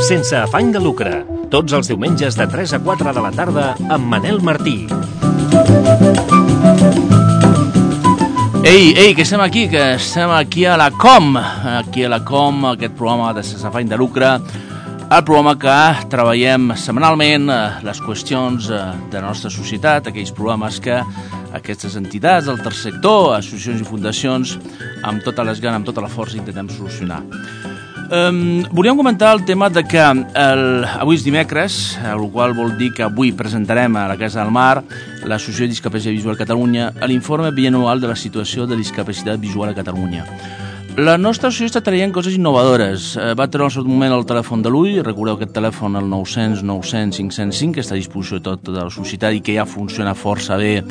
Sense afany de lucre, tots els diumenges de 3 a 4 de la tarda amb Manel Martí. Ei, que estem aquí a la Com, aquest programa de Sense afany de lucre, el programa que treballem setmanalment les qüestions de la nostra societat, aquells programes que aquestes entitats del tercer sector, associacions i fundacions, amb totes les ganes, amb tota la força, intentem solucionar. Volíem comentar el tema de que avui és dimecres, el qual vol dir que avui presentarem a la Casa del Mar, l'Associació de Discapacitat Visual Catalunya, l'informe bianual de la situació de discapacitat visual a Catalunya. La nostra associació està traient coses innovadores. Va treure al seu moment el telèfon de l'ull, recordeu aquest telèfon, el 900 900 505, que està a disposició de tota la societat i que ja funciona força bé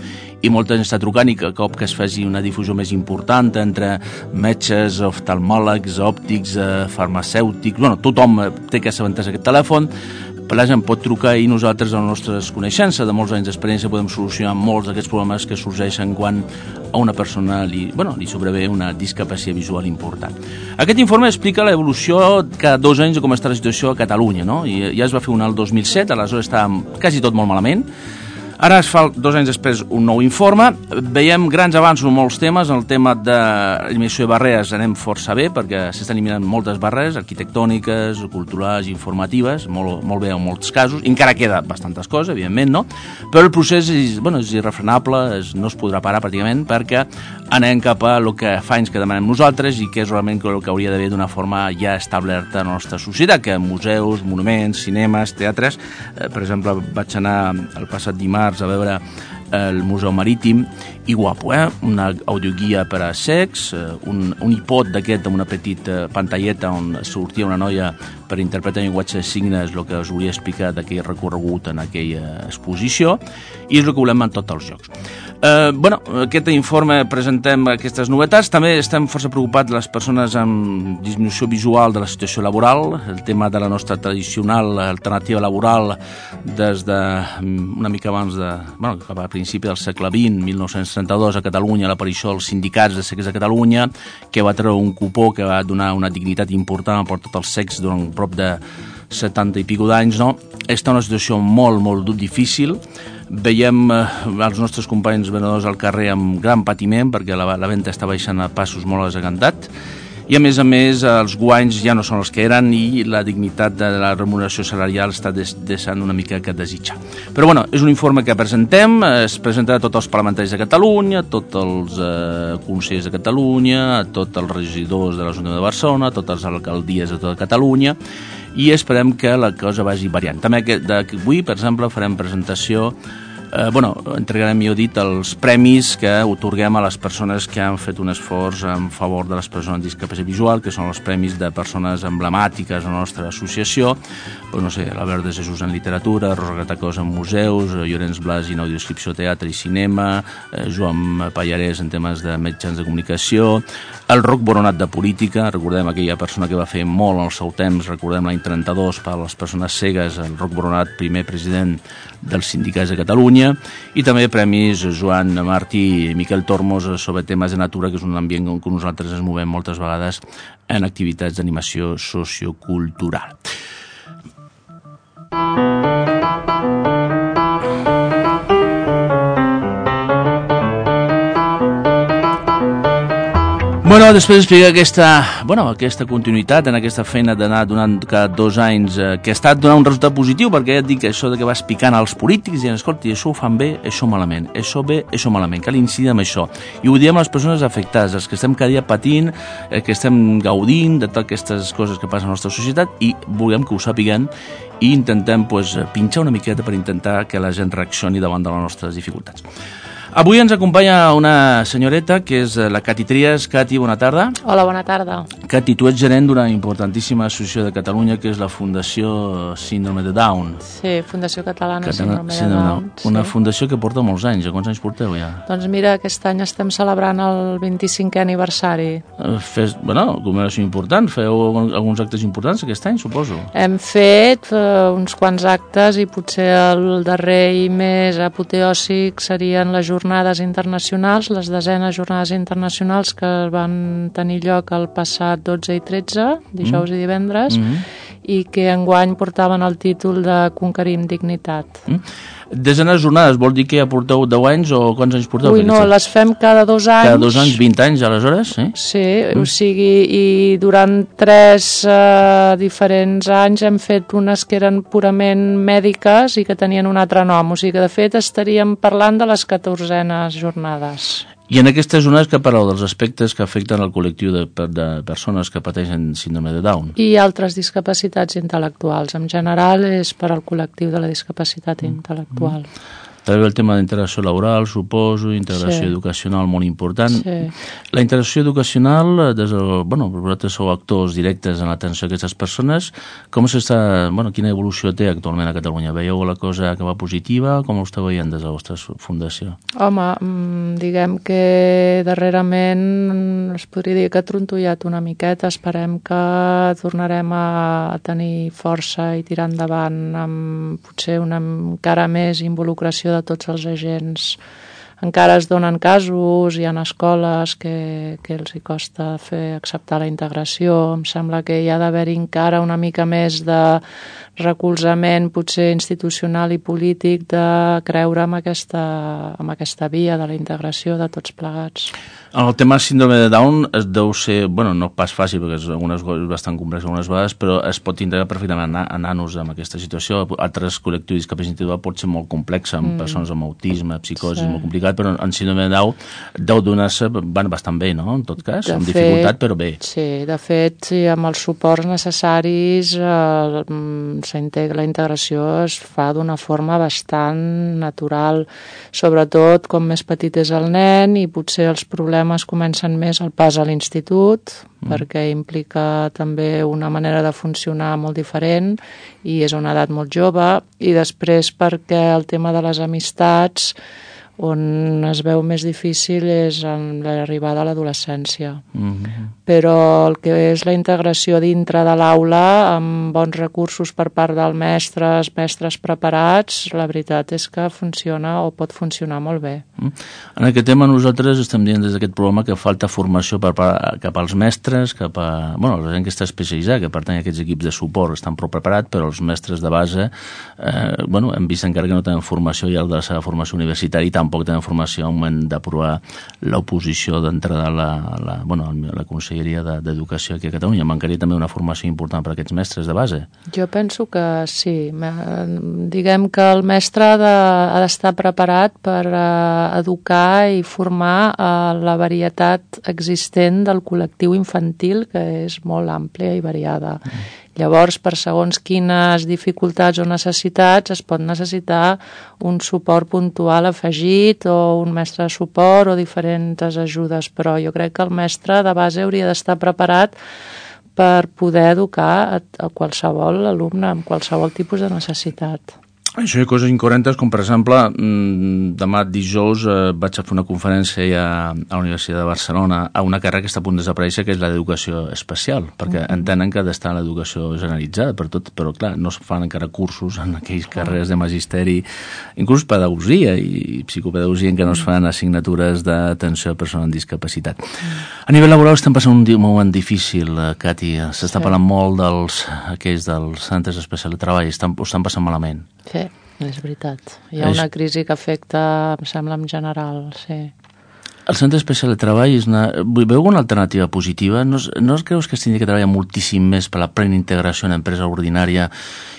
i molta gent està trucant, i que cop que es faci una difusió més important entre metges, oftalmòlegs, òptics, farmacèutics, tothom té que assabentar-se aquest telèfon. La gent pot trucar i nosaltres, amb les nostres coneixences de molts anys d'experiència, podem solucionar molts d'aquests problemes que sorgeixen quan a una persona li sobrevé una discapacitat visual important. Aquest informe explica l'evolució cada 2 anys de com està la situació a Catalunya, no? I ja es va fer un al 2007, aleshores estava quasi tot molt malament. Ara es fa 2 anys després un nou informe. Veiem grans avanços en molts temes. En el tema de l'eliminació de barreres anem força bé, perquè s'estan eliminant moltes barreres arquitectòniques, culturals, informatives, molt bé en molts casos. Encara queda bastantes coses, evidentment, no? Però el procés és irrefrenable, no es podrà parar pràcticament, perquè anem cap a el que fa anys que demanem nosaltres i que és realment el que hauria d'haver d'una forma ja establerta a la nostra societat, que museus, monuments, cinemes, teatres. Per exemple, vaig anar el passat dimarts a veure el Museu Marítim, i guapo, una audioguia per a cecs, un iPod d'aquest amb una petita pantalleta on sortia una noia per interpretar llenguatge de signes, el que us volia explicar d'aquell recorregut en aquella exposició, i és el que volem en tots els llocs. Aquest informe presentem aquestes novetats. També estem força preocupats les persones amb disminució visual de la situació laboral, el tema de la nostra tradicional alternativa laboral des de una mica abans cap a principi del segle XX, 1932, a Catalunya, l'aparició dels sindicats de cecs de Catalunya, que va treure un cupó que va donar una dignitat important per tots els cecs durant prop de 70 i pico d'anys, no? Està una situació molt difícil. Veiem els nostres companys venedors al carrer amb gran patiment, perquè la venda està baixant a passos molt desagantats, i a més els guanys ja no són els que eren i la dignitat de la remuneració salarial està deixant una mica que desitjar. Però és un informe que presentem, es presentarà a tots els parlamentaris de Catalunya, a tots els consellers de Catalunya, a tots els regidors de l'Ajuntament de Barcelona, a totes les alcaldies de tota Catalunya, i esperem que la cosa vagi variant. També avui, per exemple, farem presentació, entregarem, millor dit, els premis que otorguem a les persones que han fet un esforç en favor de les persones amb discapacitat visual, que són els premis de persones emblemàtiques a la nostra associació, l'Albert de Jesús en literatura, Rosa Gratacós en museus, Llorenç Blas en audiodescripció, teatre i cinema, Joan Pallarès en temes de mitjans de comunicació, el Roc Boronat de política, recordem aquella persona que va fer molt al seu temps, recordem l'any 32 per a les persones cegues, el Roc Boronat, primer president dels sindicats de Catalunya, i també premis Joan Martí i Miquel Tormos sobre temes de natura, que és un ambient on nosaltres ens movem moltes vegades en activitats d'animació sociocultural. Després d'explicar aquesta continuïtat en aquesta feina d'anar donant cada 2 anys, que ha estat donant un resultat positiu, perquè ja et dic això que vas picant als polítics i escolta, això ho fan bé, això malament, això bé, això malament, cal incidir en això. I ho diem a les persones afectades, els que estem cada dia patint, que estem gaudint de totes aquestes coses que passen a la nostra societat, i volem que ho sàpiguen i intentem pinxar una miqueta per intentar que la gent reaccioni davant de les nostres dificultats. Avui ens acompanya una senyoreta que és la Cati Trias. Cati, bona tarda. Hola, bona tarda. Cati, tu ets gerent d'una importantíssima associació de Catalunya que és la Fundació Síndrome de Down. Sí, Fundació Catalana Síndrome de Down. Una fundació que porta molts anys. A quants anys porteu ja? Doncs mira, aquest any estem celebrant el 25è aniversari. Commemoració important. Feu alguns actes importants aquest any, suposo? Hem fet uns quants actes i potser el darrer i més apoteòsic serien les jornades internacionals, les 10enes jornades internacionals que van tenir lloc el passat 12 i 13, dijous i divendres, i que enguany portaven el títol de Conquerim dignitat. 10enes jornades, vol dir que ja porteu 10 anys o quants anys porteu? Ui, no, les fem cada 2 anys. Cada 2 anys, 20 anys, aleshores? Sí, o sigui, i durant 3 diferents anys hem fet unes que eren purament mèdiques i que tenien un altre nom, o sigui que de fet estaríem parlant de les 14enes jornades. I en aquestes zones que parleu dels aspectes que afecten el col·lectiu de persones que pateixen síndrome de Down? I altres discapacitats intel·lectuals. En general és per al col·lectiu de la discapacitat intel·lectual. També el tema d'integració laboral, suposo, integració educacional molt important. Sí. La integració educacional, vosaltres sou actors directes en l'atenció a aquestes persones, quina evolució té actualment a Catalunya? Veieu la cosa que va positiva? Com ho esteu veient des de la vostra fundació? Home, diguem que darrerament es podria dir que ha trontollat una miqueta. Esperem que tornarem a tenir força i tirar endavant amb potser una encara més involucració de tots els agents. Encara es donen casos, hi ha escoles que els hi costa acceptar la integració. Em sembla que hi ha d'haver-hi encara una mica més de recolzament, potser institucional i polític, de creure en aquesta via de la integració de tots plegats. El tema síndrome de Down es deu ser, no pas fàcil, perquè és bastant complex algunes vegades, però es pot integrar perfectament a nanos en aquesta situació. Altres col·lectius de discapacitat intel·lectual pot ser molt complex, amb persones amb autisme, psicosi, molt complicat, però en síndrome de Down deu donar-se bastant bé, no?, en tot cas, amb dificultat, però bé. Sí, de fet, amb els suports necessaris, la integració es fa d'una forma bastant natural, sobretot com més petit és el nen i potser els problemes comencen més al pas a l'institut, perquè implica també una manera de funcionar molt diferent i és a una edat molt jove, i després perquè el tema de les amistats on es veu més difícil és en l'arribada a l'adolescència. Però el que és la integració dintre de l'aula, amb bons recursos per part dels mestres preparats, la veritat és que funciona o pot funcionar molt bé. En aquest tema nosaltres estem dient des d'aquest programa que falta formació cap als mestres, cap a la gent que està especialitzada, que pertany a aquests equips de suport, estan prou preparats, però els mestres de base hem vist encara que no tenen formació i el de la seva formació universitària i tampoc tenen formació al moment d'aprovar l'oposició d'entrada a la Conselleria d'Educació aquí a Catalunya. Mancaria també una formació important per a aquests mestres de base? Jo penso que sí. Diguem que el mestre ha d'estar preparat per educar i formar la varietat existent del col·lectiu infantil, que és molt àmplia i variada. Llavors, per segons quines dificultats o necessitats, es pot necessitar un suport puntual afegit o un mestre de suport o diferents ajudes, però jo crec que el mestre de base hauria d'estar preparat per poder educar a qualsevol alumne amb qualsevol tipus de necessitat. Això hi ha coses incoherentes, com per exemple, demà dijous vaig a fer una conferència ja a la Universitat de Barcelona a una carrera que està a punt de desaparèixer, que és l'educació especial, perquè entenen que ha d'estar en l'educació generalitzada per tot, però clar, no es fan encara cursos en aquells carreres de magisteri, inclús pedagogia i psicopedagogia, en què no es fan assignatures d'atenció a persones amb discapacitat. A nivell laboral estem passant un moment difícil, Cati. S'està parlant molt dels centres especials de treball, ho estan passant malament. Sí, és veritat. Hi ha una crisi que afecta, em sembla, en general, sí. El centre especial de treball veu una alternativa positiva? No creus que es hauria de treballar moltíssim més per la plena integració en l'empresa ordinària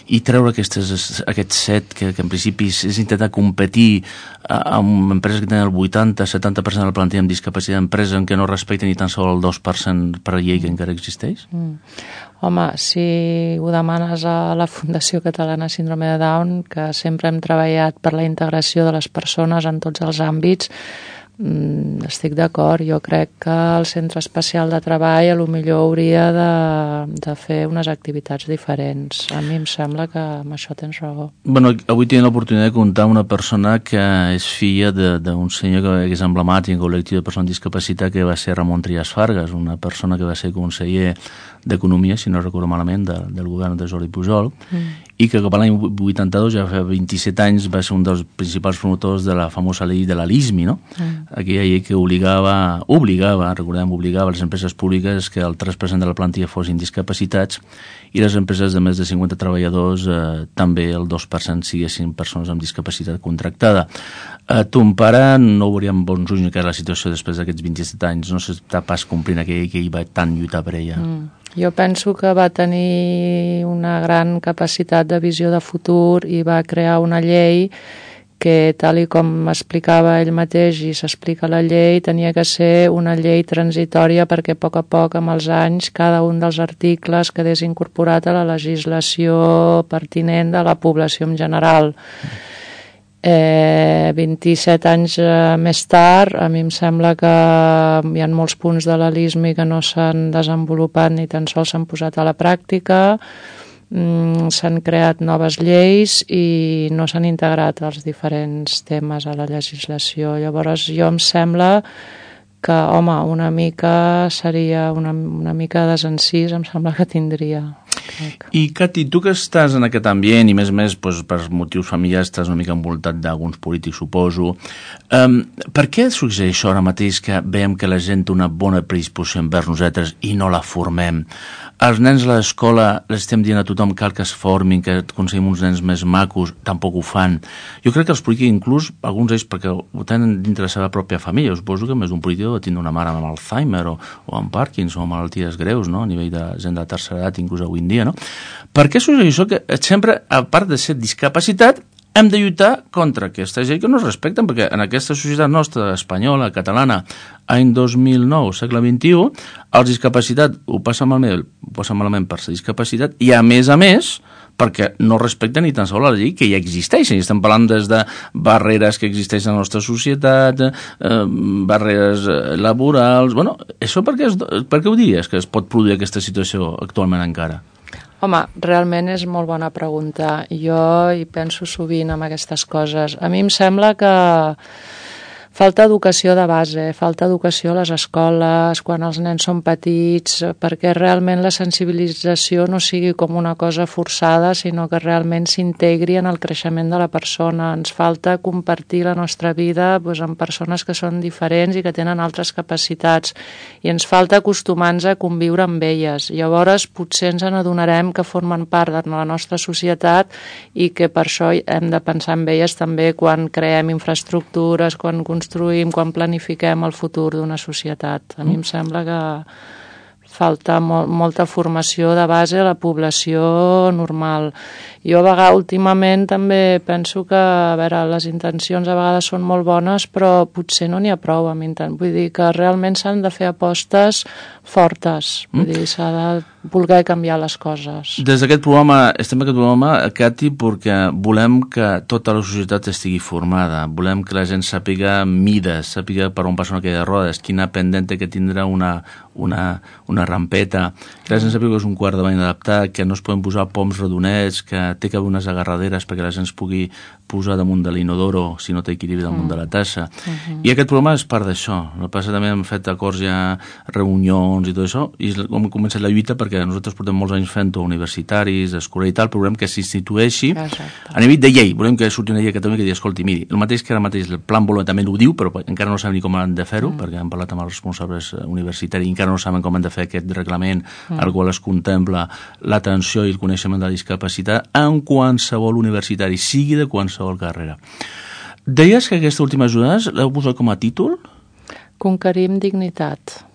i treure aquest set que en principi és intentar competir amb empreses que tenen el 80-70% de la plantilla amb discapacitat d'empresa en què no respecten ni tan sols el 2% per llei que encara existeix? Home, si ho demanes a la Fundació Catalana Síndrome de Down, que sempre hem treballat per la integració de les persones en tots els àmbits, Estic d'acord, jo crec que el centre especial de treball potser hauria de fer unes activitats diferents. A mi em sembla que amb això tens raó. Bueno, avui tinc l'oportunitat de comptar amb una persona que és filla d'un senyor que és emblemàtic en col·lectiu de persones amb discapacitat, que va ser Ramon Trias Fargas, una persona que va ser conseller d'Economia, si no recordo malament, del govern de Jordi Pujol, i que cap a l'any 82, ja fa 27 anys, va ser un dels principals promotors de la famosa llei de la LISMI, no? Aquella llei que obligava les empreses públiques que el 3% de la plantilla fossin discapacitats i les empreses de més de 50 treballadors també el 2% siguessin persones amb discapacitat contractada. Ton pare no veuria amb bons ulls que era la situació després d'aquests 27 anys, no s'està pas complint aquella llei que ell va tant lluitar per ella. Jo penso que va tenir una gran capacitat de visió de futur i va crear una llei que, tal i com explicava ell mateix i s'explica la llei, tenia que ser una llei transitòria perquè a poc, amb els anys, cada un dels articles quedés incorporat a la legislació pertinent de la població en general. 27 anys més tard, a mi em sembla que hi ha molts punts de la LISMI que no s'han desenvolupat ni tan sols s'han posat a la pràctica. S'han creat noves lleis i no s'han integrat els diferents temes a la legislació. Llavors jo em sembla que, home, una mica seria una mica de desencís, em sembla que tindria. I, Cati, tu que estàs en aquest ambient i més doncs, per motius familiars estàs una mica envoltat d'alguns polítics, suposo, per què succeeix això ara mateix que veiem que la gent té una bona predisposició envers nosaltres i no la formem? Els nens a l'escola les estem dient a tothom cal que es formin, que aconseguim uns nens més macos, tampoc ho fan. Jo crec que els polítics, inclús, alguns d'ells perquè ho tenen dintre la seva pròpia família, suposo que més d'un polític ha tindre una mare amb Alzheimer o amb Parkinson o amb malalties greus, no? A nivell de gent de tercera edat, inclús avui en dia, no? Per què succeeix això que sempre, a part de ser discapacitat, hem de lluitar contra aquesta gent que no es respecten, perquè en aquesta societat nostra, espanyola, catalana, any 2009, segle XXI, els discapacitats ho passen malament per ser discapacitat i, a més, perquè no respecten ni tan sols la llei que ja existeix. I estem parlant des de barreres que existeixen a la nostra societat, barreres laborals... Bueno, això per què ho diries, que es pot produir aquesta situació actualment encara? Home, realment és molt bona pregunta. Jo hi penso sovint en aquestes coses. A mi em sembla que falta educació de base, falta educació a les escoles, quan els nens són petits, perquè realment la sensibilització no sigui com una cosa forçada, sinó que realment s'integri en el creixement de la persona. Ens falta compartir la nostra vida amb persones que són diferents i que tenen altres capacitats, i ens falta acostumar-nos a conviure amb elles. Llavors potser ens n'adonarem que formen part de la nostra societat i que per això hem de pensar en elles també quan creem infraestructures, quan construïm, quan planifiquem el futur d'una societat. A mi em sembla que falta molta formació de base a la població normal. Jo últimament també penso que, a veure, les intencions a vegades són molt bones, però potser no n'hi ha prou. Vull dir que realment s'han de fer apostes fortes. Vull dir, s'ha de voler canviar les coses. Des d'aquest programa, estem en aquest programa, Cati, perquè volem que tota la societat estigui formada, volem que la gent sàpiga mides, sàpiga per on passa una cadira de rodes, quina pendent que tindrà una rampeta, que la gent sàpiga que és un quart de bany adaptat, que no es poden posar poms redonets, que té que haver unes agarraderes perquè la gent es pugui posar damunt de l'inodoro si no té equilibri damunt de la tassa. I aquest programa és part d'això. El que passa també hem fet acords ja, reunions i tot això, i hem començat la lluita perquè nosaltres portem molts anys fent-ho, universitaris, escolar i tal, però volem que s'institueixi a nivell de llei. Volem que surti una llei a Catalunya que digui, escolti, miri, el mateix que ara mateix el Plan Bolonya també ho diu, però encara no sabem ni com han de fer-ho, perquè hem parlat amb els responsables universitaris i encara no saben com han de fer aquest reglament, al qual es contempla l'atenció i el coneixement de la discapacitat en qualsevol universitari, sigui de qualsevol carrera. Deies que aquesta última ajuda l'heu posat com a títol? Conquerim dignitat.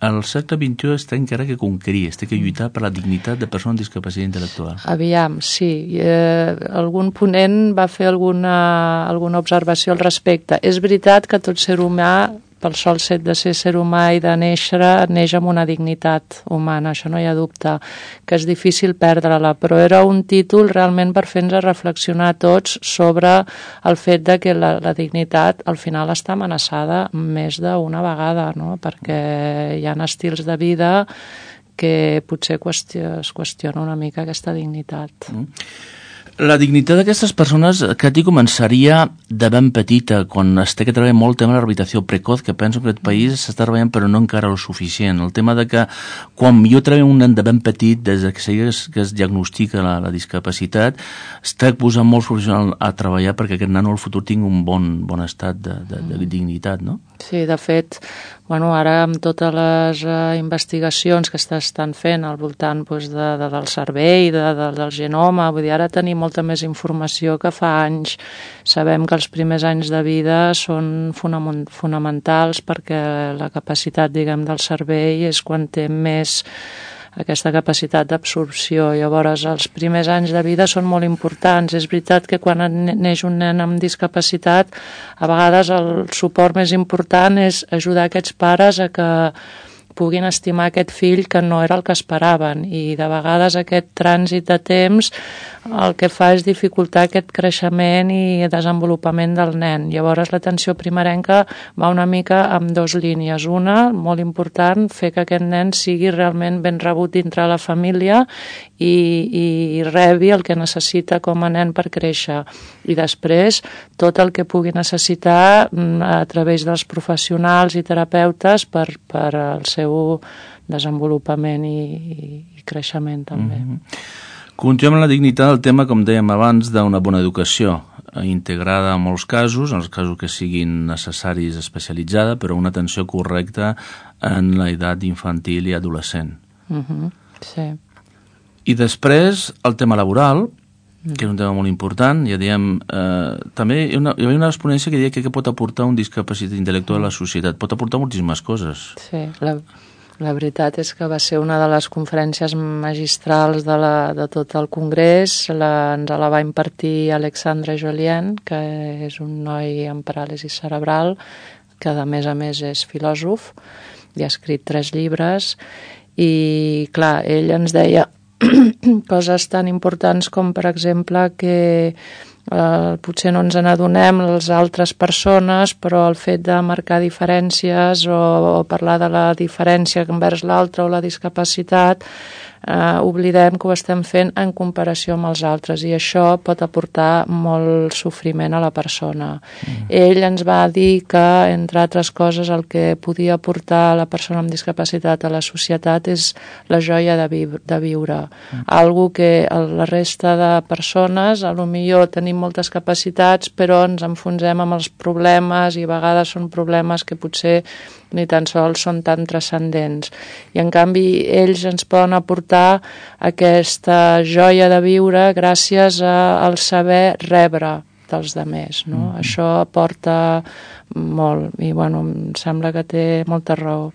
El segle XXI està encara que conquerir, té que lluitar per la dignitat de persones amb discapacitat intel·lectual. Aviam, sí. Algun ponent va fer alguna observació al respecte. És veritat que tot ser humà pel sol fet de ser ser humà i de néixer, neix amb una dignitat humana, això no hi ha dubte, que és difícil perdre-la, però era un títol realment per fer-nos reflexionar tots sobre el fet de que la dignitat al final està amenaçada més d'una vegada, no? Perquè hi ha estils de vida que potser es qüestiona una mica aquesta dignitat. La dignitat d'aquestes persones, Cati, començaria de ben petita, quan es té que treballar molt el tema de la rehabilitació precoz, que penso que aquest país s'està treballant però no encara el suficient. El tema de que quan jo treballo un nen de ben petit, des que es diagnostica la discapacitat, es té que posar molts professionals a treballar perquè aquest nano al futur tingui un bon estat de dignitat, no? Sí, de fet, ara amb totes les investigacions que s'estan fent al voltant del cervell, del genoma, vull dir, ara tenim molta més informació que fa anys. Sabem que els primers anys de vida són fonamentals perquè la capacitat, del cervell és quan té més aquesta capacitat d'absorció. Llavors, els primers anys de vida són molt importants. És veritat que quan neix un nen amb discapacitat, a vegades el suport més important és ajudar aquests pares a que puguin estimar aquest fill que no era el que esperaven, i de vegades aquest trànsit de temps el que fa és dificultar aquest creixement i desenvolupament del nen. Llavors l'atenció primerenca va una mica amb dues línies. Una, molt important, fer que aquest nen sigui realment ben rebut dintre la família i rebi el que necessita com a nen per créixer. I després tot el que pugui necessitar a través dels professionals i terapeutes per al seu desenvolupament i creixement també. Continuem amb la dignitat del tema, com dèiem abans, d'una bona educació integrada en molts casos, en els casos que siguin necessaris, especialitzada, però una atenció correcta en l'edat infantil i adolescent. Sí. I després el tema laboral, que és un tema molt important, ja diem, també hi havia una exponència que deia que pot aportar un discapacitat intel·lectual a la societat, pot aportar moltíssimes coses. Sí, la veritat és que va ser una de les conferències magistrals de tot el Congrés. Ens la va impartir Alexandre Jolien, que és un noi amb paràlisi cerebral, que a més és filòsof, i ha escrit 3 llibres, i clar, ell ens deia coses tan importants com, per exemple, que potser no ens n'adonem les altres persones, però el fet de marcar diferències o parlar de la diferència envers l'altre o la discapacitat, oblidem que ho estem fent en comparació amb els altres, i això pot aportar molt sofriment a la persona. Ell ens va dir que, entre altres coses, el que podia aportar la persona amb discapacitat a la societat és la joia de viure. Algo que la resta de persones, potser tenim moltes capacitats, però ens enfonsem amb els problemes, i a vegades són problemes que potser ni tan sols són tan transcendents. I en canvi ells ens poden aportar aquesta joia de viure gràcies al saber rebre dels altres, no? Això aporta molt, i em sembla que té molta raó.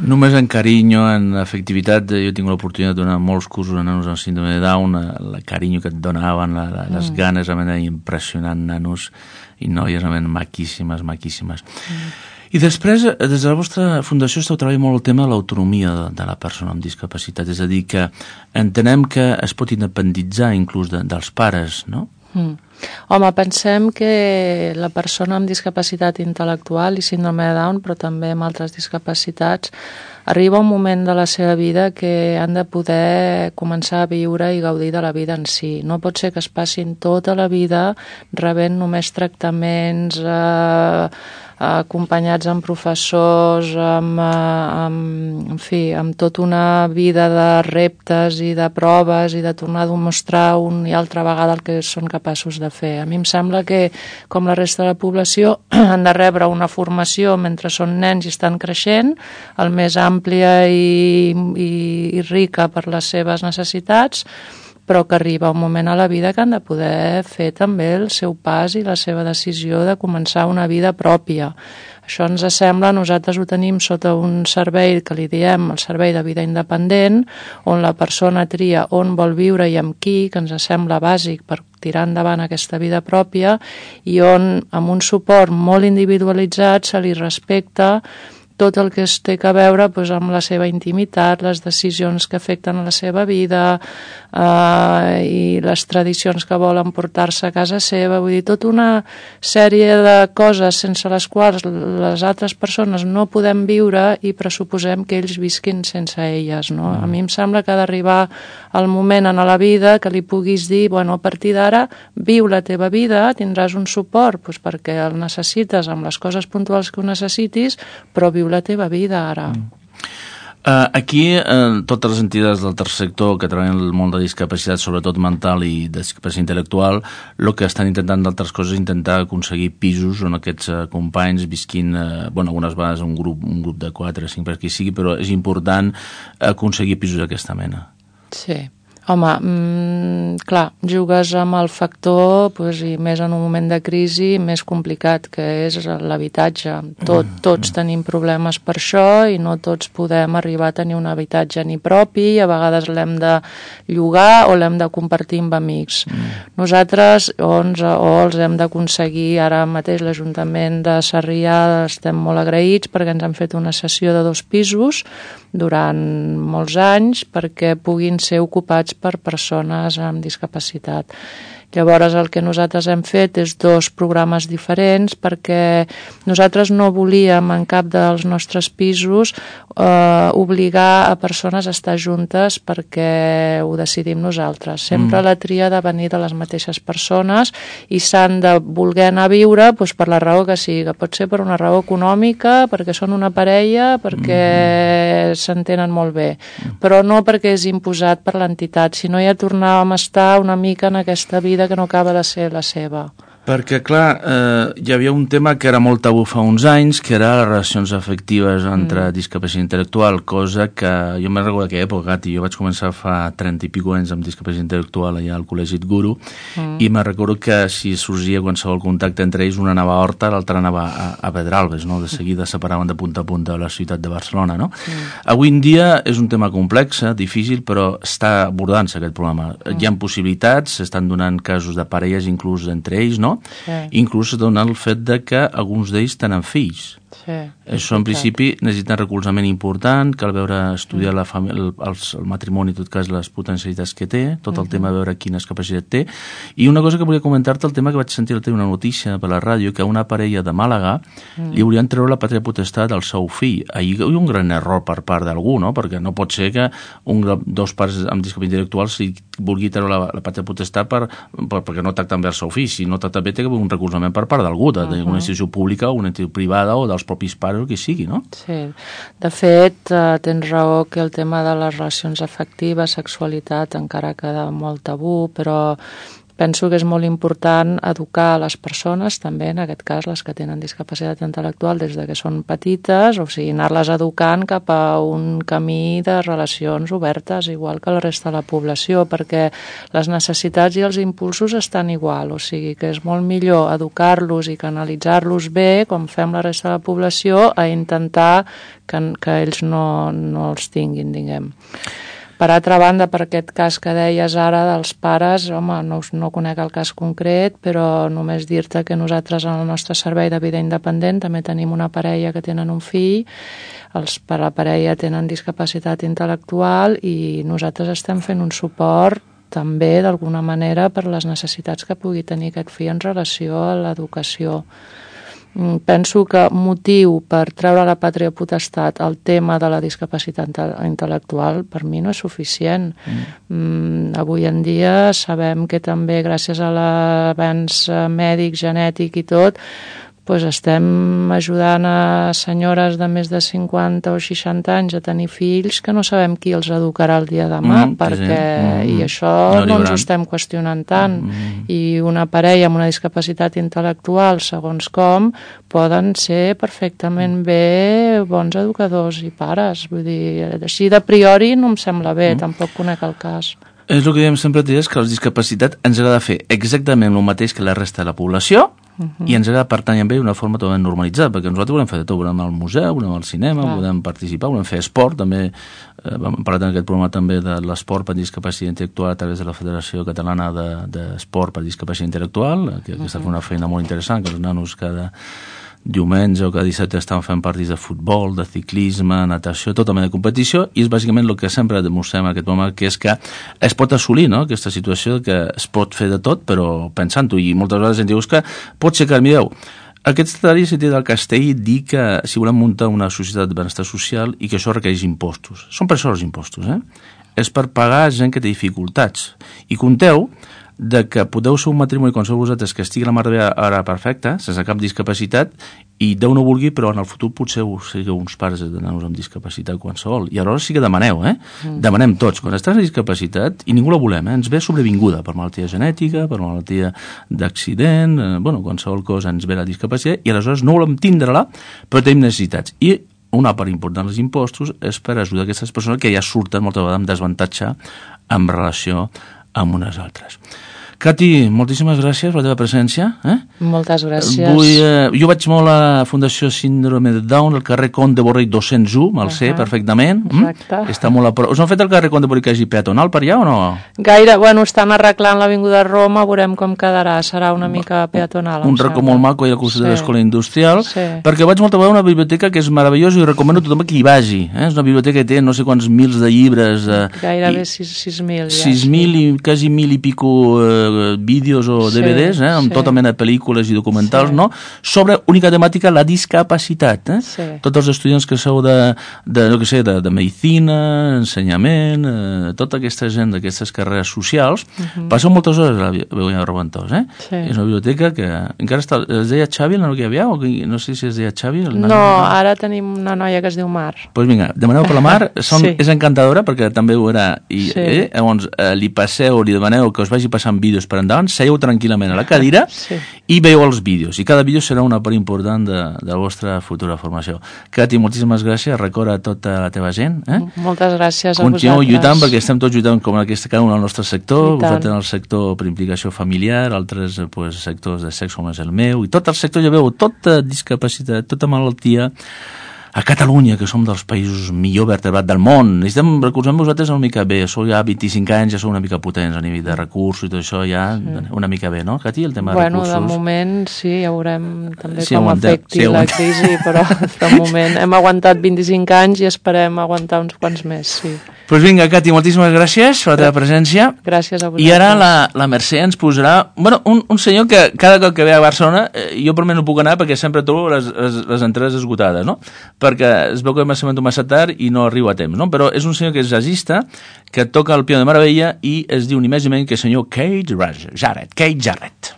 Només en carinyo, en afectivitat, jo he tingut l'oportunitat de donar molts cursos a nanos amb síndrome de Down, el carinyo que et donaven, les ganes, era impressionant, nanos i noies maquíssimes. I després, des de la vostra fundació, esteu treballant molt el tema de l'autonomia de la persona amb discapacitat, és a dir, que entenem que es pot independitzar inclús dels pares, no? Home, pensem que la persona amb discapacitat intel·lectual i síndrome de Down, però també amb altres discapacitats, arriba un moment de la seva vida que han de poder començar a viure i gaudir de la vida en si. No pot ser que es passin tota la vida rebent només tractaments acompanyats amb professors, amb tota una vida de reptes i de proves i de tornar a demostrar una i altra vegada el que són capaços de fer. A mi em sembla que, com la resta de la població, han de rebre una formació mentre són nens i estan creixent, el més àmplia i rica per les seves necessitats, però que arriba un moment a la vida que han de poder fer també el seu pas i la seva decisió de començar una vida pròpia. Això ens sembla, nosaltres ho tenim sota un servei que li diem el servei de vida independent, on la persona tria on vol viure i amb qui, que ens sembla bàsic per tirar endavant aquesta vida pròpia, i on amb un suport molt individualitzat se li respecta tot el que es té a veure amb la seva intimitat, les decisions que afecten a la seva vida i les tradicions que volen portar-se a casa seva. Vull dir, tota una sèrie de coses sense les quals les altres persones no podem viure i pressuposem que ells visquin sense elles, no? A mi em sembla que ha d'arribar el moment en la vida que li puguis dir, bueno, a partir d'ara viu la teva vida, tindràs un suport perquè el necessites amb les coses puntuals que ho necessitis, però viu la teva vida ara. Aquí, totes les entitats del tercer sector que treballen en el món de discapacitat, sobretot mental i discapacitat intel·lectual, el que estan intentant d'altres coses és intentar aconseguir pisos on aquests companys visquin, algunes vegades un grup de 4 o 5 per qui sigui, però és important aconseguir pisos d'aquesta mena. Sí. Home, clar, jugues amb el factor, i més en un moment de crisi, més complicat, que és l'habitatge. Tots tenim problemes per això i no tots podem arribar a tenir un habitatge ni propi, a vegades l'hem de llogar o l'hem de compartir amb amics. Nosaltres els hem d'aconseguir, ara mateix l'Ajuntament de Sarrià estem molt agraïts perquè ens han fet una cessió de 2 pisos durant molts anys perquè puguin ser ocupats per persones amb discapacitat. Llavors el que nosaltres hem fet és 2 programes diferents perquè nosaltres no volíem en cap dels nostres pisos obligar a persones a estar juntes perquè ho decidim nosaltres. Sempre la tria de venir de les mateixes persones i s'han de voler anar a viure per la raó que sigui. Pot ser per una raó econòmica, perquè són una parella, perquè s'entenen molt bé, però no perquè és imposat per l'entitat, sinó ja tornàvem a estar una mica en aquesta vida que no acaba de ser la seva. Perquè, clar, hi havia un tema que era molt tabú fa uns anys, que era les relacions afectives entre discapacitat intel·lectual, cosa que jo me'n recordo d'aquella època, Gati, jo vaig començar fa 30 i pico anys amb discapacitat intel·lectual allà al Col·legi Guru, i me'n recordo que si sorgia qualsevol contacte entre ells, una anava a Horta, l'altra anava a Pedralbes, no? De seguida separaven de punta a punta a la ciutat de Barcelona, no? Avui en dia és un tema complex, difícil, però està abordant-se aquest problema. Hi ha possibilitats, s'estan donant casos de parelles inclús entre ells, no? Sí. Inclús dona el fet de que alguns d'ells tenen fills. Sí, això en principi necessita recolzament important, cal veure, estudiar el matrimoni, en tot cas les potencialitats que té, tot el tema de veure quines capacitats té. I una cosa que volia comentar-te, el tema que vaig sentir una notícia per la ràdio, que una parella de Màlaga li haurien treure la pàtria potestat al seu fill. Ahir hi ha un gran error per part d'algú, no? Perquè no pot ser que dos pares amb discapacitat intel·lectual si vulgui treure la pàtria potestat perquè no tracten bé el seu fill. Si no tracta bé, té que haver un recolzament per part d'algú, d'una institució pública o una institució privada o dels propis pares o qui sigui, no? Sí. De fet, tens raó que el tema de les relacions afectives, sexualitat, encara queda molt tabú, però penso que és molt important educar les persones, també en aquest cas les que tenen discapacitat intel·lectual des de que són petites, o sigui, anar-les educant cap a un camí de relacions obertes, igual que la resta de la població, perquè les necessitats i els impulsos estan igual, o sigui que és molt millor educar-los i canalitzar-los bé, com fem la resta de la població, a intentar que ells no els tinguin, diguem. Per altra banda, per aquest cas que deies ara dels pares, home, no conec el cas concret, però només dir-te que nosaltres en el nostre servei de vida independent també tenim una parella que tenen un fill, per la parella tenen discapacitat intel·lectual i nosaltres estem fent un suport també d'alguna manera per les necessitats que pugui tenir aquest fill en relació a l'educació. Penso que motiu per treure la pàtria potestat el tema de la discapacitat intel·lectual per mi no és suficient. Avui en dia sabem que també gràcies a l'avanç mèdic, genètic i tot, estem ajudant a senyores de més de 50 o 60 anys a tenir fills que no sabem qui els educarà el dia de demà, i això no ens ho estem qüestionant tant. I una parella amb una discapacitat intel·lectual, segons com, poden ser perfectament bé bons educadors i pares. Vull dir, així de priori no em sembla bé, tampoc conec el cas. És el que diem sempre, és que la discapacitat ens agrada fer exactament el mateix que la resta de la població, i ens agrada pertany amb ell d'una forma totalment normalitzada, perquè nosaltres volem fer de tot, volem anar al museu, volem anar al cinema, volem participar, volem fer esport, també vam parlar en aquest programa també de l'esport per discapacitat intel·lectual a través de la Federació Catalana d'Esport per Discapacitat Intel·lectual, que està fent una feina molt interessant, que els nanos cada diumenge o cada dissabte estan fent partits de futbol, de ciclisme, natació, tota mena de competició, i és bàsicament el que sempre demostrem en aquest moment, que és que es pot assolir, no?, aquesta situació que es pot fer de tot, però pensant-ho, i moltes vegades ens dius que pot ser que, mireu, aquest Secretari Sentit del Castell dir que si volem muntar una societat de benestar social i que això requereix impostos. Són per això els impostos, És per pagar gent que té dificultats. I compteu que podeu ser un matrimoni com sou vosaltres que estigui la mar de ara perfecta, sense cap discapacitat, i Déu no vulgui, però en el futur potser sigueu uns pares de nanos amb discapacitat qualsevol. I aleshores sí que demaneu, Demanem tots. Quan estàs amb discapacitat, i ningú la volem, ens ve sobrevinguda per malaltia genètica, per malaltia d'accident, qualsevol cosa ens ve la discapacitat, i aleshores no volem tindre-la, però tenim necessitats. I una part important dels impostos és per ajudar aquestes persones que ja surten moltes vegades amb desavantatge en relació amb unes altres. Cati, moltíssimes gràcies per la teva presència. Moltes gràcies. Jo vaig molt a la Fundació Síndrome de Down, al carrer Comte de Borrell 201, me'l sé perfectament. Exacte. Està molt a prop. Us han fet el carrer Comte de Borrell que hagi peatonal per allà o no? Gaire, estan arreglant l'Avinguda Roma, veurem com quedarà, serà una mica peatonal. Un racó molt maco i al costat de l'Escola Industrial, perquè vaig molt a veure una biblioteca que és meravellosa i recomano a tothom que hi vagi. És una biblioteca que té no sé quants mils de llibres. Gairebé 6.000. 6.000 i quasi 1.000 i pico vídeos o DVDs, amb tota mena de pel·lícules i documentals, no? Sobre única temàtica, la discapacitat. Tots els estudiants que sou de medicina, ensenyament, tota aquesta gent d'aquestes carreres socials, passeu moltes hores a la Begoña de Reventós. És una biblioteca que encara està... Es deia Xavi, el nano que hi havia? No sé si es deia Xavi. No, ara tenim una noia que es diu Mar. Doncs vinga, demaneu per la Mar, és encantadora perquè també ho era. Llavors, li passeu, li demaneu que us vagi passant vídeos per endavant, seieu tranquil·lament a la cadira i veieu els vídeos. I cada vídeo serà una part important de la vostra futura formació. Cati, moltíssimes gràcies. Recorda tota la teva gent. Moltes gràcies a vosaltres. Continueu lluitant perquè estem tots lluitant com cada un al nostre sector. Vosaltres en el sector per implicació familiar, altres sectors de sexe com és el meu, i tot el sector, ja veu, tota discapacitat, tota malaltia, a Catalunya, que som dels països millor vertebrats del món. Recordem vosaltres una mica bé, sou ja 25 anys, ja sou una mica potents a nivell de recursos i tot això, ja una mica bé, no, Cati, el tema de recursos? De moment sí, ja veurem també com afecti la crisi, però de moment hem aguantat 25 anys i esperem aguantar uns quants més, sí. Doncs vinga, Cati, moltíssimes gràcies per la teva presència. Gràcies a vosaltres. I ara la Mercè ens posarà... un senyor que cada cop que ve a Barcelona, jo per mi no puc anar perquè sempre trobo les entrades esgotades, no? Perquè es veu que m'assabento massa tard i no arribo a temps, no? Però és un senyor que és jazzista, que toca el piano de meravella i es diu ni més ni menys que el senyor Keith Jarrett.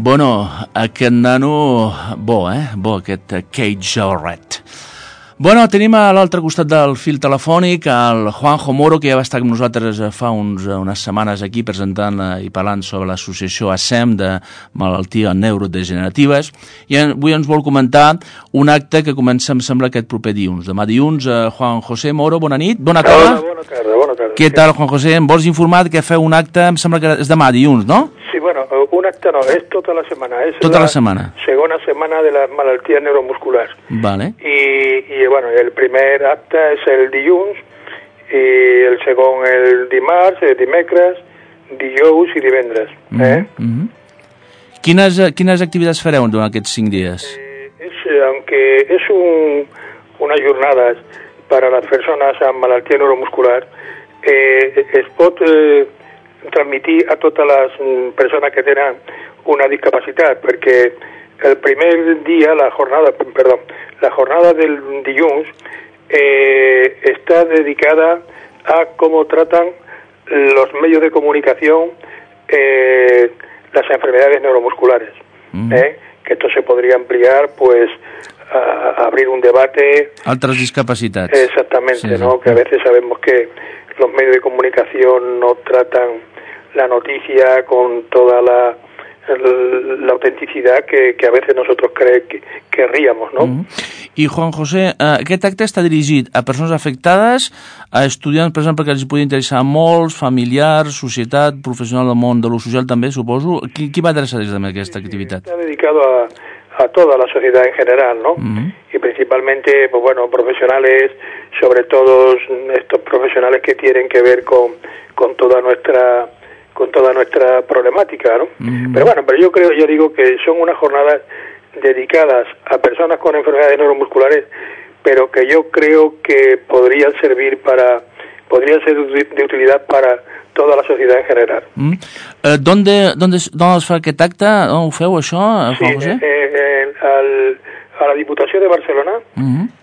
Bueno, aquest nano, bo, aquest Cage Red. Bueno, tenim a l'altre costat del fil telefònic el Juanjo Moro, que ja va estar amb nosaltres fa unes setmanes aquí presentant i parlant sobre l'associació ASEM de malalties neurodegeneratives, i avui ens vol comentar un acte que comença, em sembla, aquest proper dilluns. Demà dilluns, Juan José Moro, bona nit, bona tarda. Bona tarda. Què tal, Juan José? Em vols informar que feu un acte, em sembla que és demà dilluns, no? Sí, bueno, un acte no, és tota la setmana. És tota la setmana. Segona setmana de les malalties neuromusculars. Vale. I bueno, el primer acte és el dilluns, i el segon el dimarts, el dimecres, dijous i divendres. Quines activitats fareu durant aquests 5 dies? Aunque es unas jornadas para las personas amb malaltia neuromuscular, es pot transmitir a totes les persones que tenen una discapacitat, perquè el primer dia, la jornada del dilluns está dedicada a cómo tratan los medios de comunicación las enfermedades neuromusculares. Que esto se podría ampliar, pues, a abrir un debate. Altres discapacitats. Exactamente, sí, ¿no? Que a veces sabemos que los medios de comunicación no tratan la noticia con toda la autenticidad que a veces nosotros querríamos, ¿no? I, Juan José, aquest acte està dirigit a persones afectades, a estudiants, per exemple, que els podria interessar molts, familiars, societat, professional del món de lo social també, suposo. Qui va adreçar des d'aquesta activitat? Está dedicado a toda la sociedad en general, ¿no? Y principalmente, pues bueno, profesionales, sobre todo estos profesionales que tienen que ver con toda nuestra problemática, ¿no? Pero bueno, yo digo que son unas jornadas dedicadas a personas con enfermedades neuromusculares, pero que yo creo que podrían ser de utilidad para toda la societat en general. ¿Dónde es fa aquest acte? On ho feu, això, Juan José? A la Diputació de Barcelona,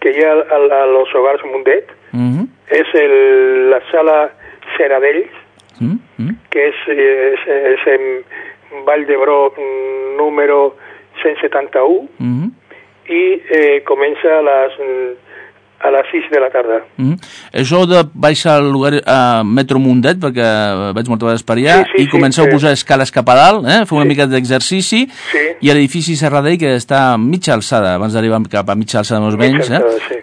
que hi ha a los Hogares Mundet, és la sala Seradells, que és en Vall d'Hebron número 171, i comença a les 6 de la tarda. Això de baixar al lugar a Metro Mundet, perquè vaig moltes vegades per allà, i comenceu a posar escales cap a dalt, fer una mica d'exercici, i l'edifici Serradell, que està a mitja alçada, abans d'arribar cap a mitja alçada més o menys,